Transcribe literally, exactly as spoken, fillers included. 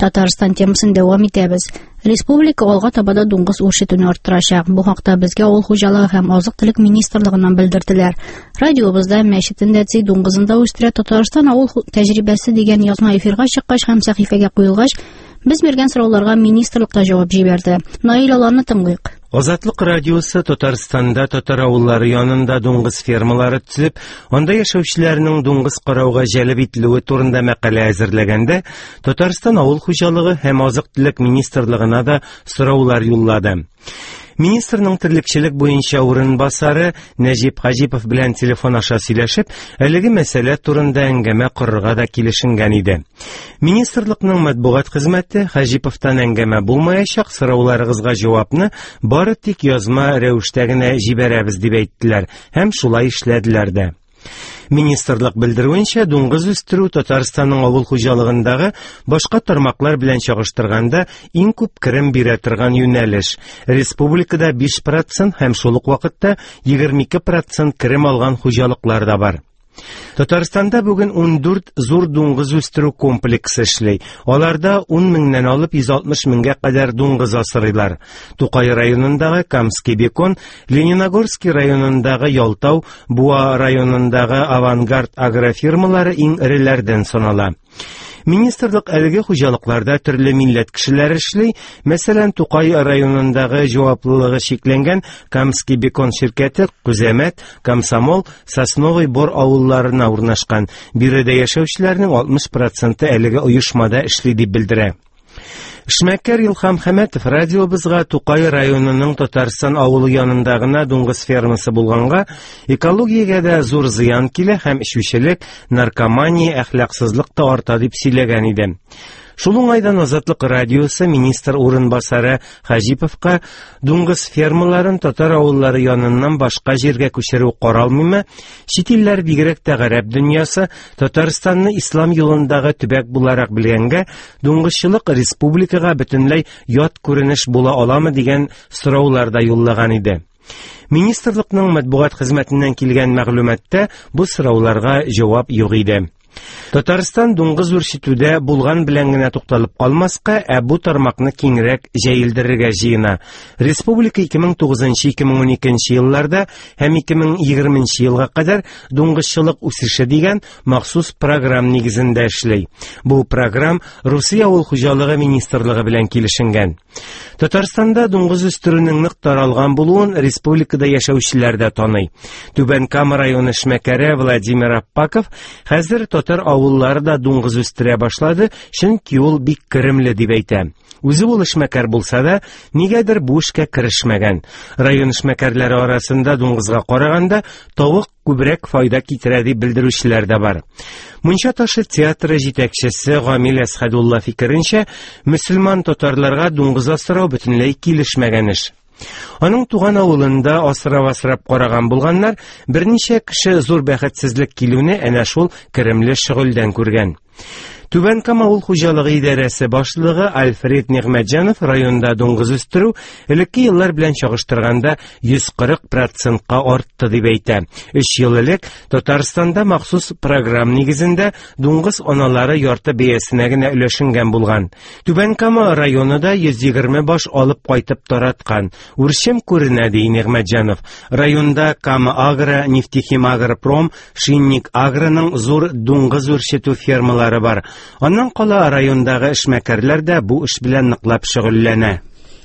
Татарстан темасын дәвам итәбез. Республика алга таба да дуңгыз үрчетүне арттырачак. Бу хакта безгә Авыл хуҗалыгы һәм азык-төлек министрлыгыннан белдерделәр. Радиобызда мәчетен дә төзи, дуңгызын да үстерә Татарстан авыл тәҗрибәсе дигән язма эфирга чыккач һәм сәхифәгә куелгач, без биргән сорауларга министрлык та җавап җибәрде. Наил аларны тыңлыйк. Азатлык радиосы Татарстанда татар авыллары янында дуңгыз фермалары төзеп, анда яшәүчеләрнең дуңгыз карауга җәлеп ителүе турында мәкалә әзерләгәндә, Татарстан авыл хуҗалыгы һәм азык-төлек министрлыгына да сораулар юллады. Министрның терлекчелек буенча урынбасары Нәҗип Хаҗипов белән телефон аша сөйләшеп, әлеге мәсьәлә турында әңгәмә корырга да килешенгән иде. Министрлыкның матбугат хезмәте Хаҗиповтан әңгәмә булмаячак, сорауларыгызга җавапны бары тик язма рәвештә генә җибәрәбез дип әйттеләр һәм шулай эшләделәр дә. Министрлык белдерүенчә, дуңгыз үстерү Татарстанның авыл хуҗалыгындагы башка тармаклар белән чагыштырганда иң күп керем бирә торган юнәлеш. Республикада биш процент һәм шул ук вакытта егерме ике процент керем алган хуҗалыклар да бар. Татарстанда бүген ун дүрт зур дуңгыз үстерү комплексы эшли. Аларда ун меңнән алып йөз алтмыш меңгә кадәр дуңгыз асрыйлар. Тукай районындагы Камский бекон, Лениногорский районындагы Ялтау, Буа районындагы Авангард агрофирмалары иң эреләрдән санала. Министрлык әлеге хуҗалыкларда төрле милләт кешеләре эшли. Мәсәлән, Тукай районындагы җаваплылыгы чикләнгән Камский бекон ширкәте Күзәмәт, Комсомол, Сосновый Бор авылларына урнашкан. Биредә яшәүчеләрнең алтмыш проценты әлеге оешмада эшли дип белдерә. Эшмәкәр Илһам Хәмәтов радиобызга Тукай районының Татарстан авылы янында гына дуңгыз фермасы булганга экологиягә дә зур зыян килә һәм эчүчелек, наркомания, әхлаксызлык та арта дип сөйләгән иде. Шул уңайдан Азатлык радиосы министр урынбасары Хаҗиповка дуңгыз фермаларын татар авыллары яныннан башка җиргә күчерү каралмыймы? Чит илләр, бигрәк тә гарәп дөньясы, Татарстанны ислам юлындагы төбәк буларак белгәнгә, дуңгызчылык республикага бөтенләй ят күренеш була аламы дигән сораулар да юллаган иде. Министрлыкның матбугат хезмәтеннән килгән мәгълүматта бу сорауларга җавап юк иде. Татарстан дуңгыз үрчетүдә булган белән генә тукталып калмаска, ә бу тармакны киңрәк җәелдерергә җыена. Республика ике мең тугызынчы, ике мең уникенче елларда һәм ике мең егерменче елга кадәр дуңгызчылык үсеше дигән махсус программ нигезендә эшли. Бу программ Русия авыл хуҗалыгы министрлыгы белән килешенгән. Татарстанда дуңгыз үстерүнең нык таралган булуын республикада яшәүчеләр дә таный. Түбән Кама районы эшмәкәре Владимир Аппаков хәзер татар авыллары да дуңгыз үстерә башлады, чөнки ул бик керемле дип әйтә. Үзе ул эшмәкәр булса да, нигәдер бу эшкә керешмәгән. Район эшмәкәрләре арасында дуңгызга караганда тавык күбрәк файда китерә дип белдерүчеләр дә бар. Мунча ташы театры җитәкчесе Гамил Әсхәдулла фикеренчә, мөселман татарларга дуңгыз асрау бөтенләй килешмәгән эш. Аның туган авылында асрап-асрап караган булганнар, берничә кеше зур бәхетсезлек килүне әнә шул керемле шөгыльдән күргән. Түбән Кама авыл хуҗалыгы идарәсе башлыгы Альфред Нигъмәтҗанов районда дуңгыз үстерү элекке еллар белән чагыштырганда йөз кырык процентка артты дип әйтә. Өч ел элек Татарстанда махсус программ нигезендә дуңгыз аналары ярты бәясенә генә өләшенгән булган. Түбән Кама районы да йөз егерме баш алып кайтып тараткан. Үрчем күренә, ди Нигъмәтҗанов. Районда Кама Агро, Нефтехим Агропром, Шинник Агроның зур дуңгыз үрчетү фермалары бар. Аннан кала райондагы эшмәкәрләр дә бу эш белән ныклап шөгыльләнә.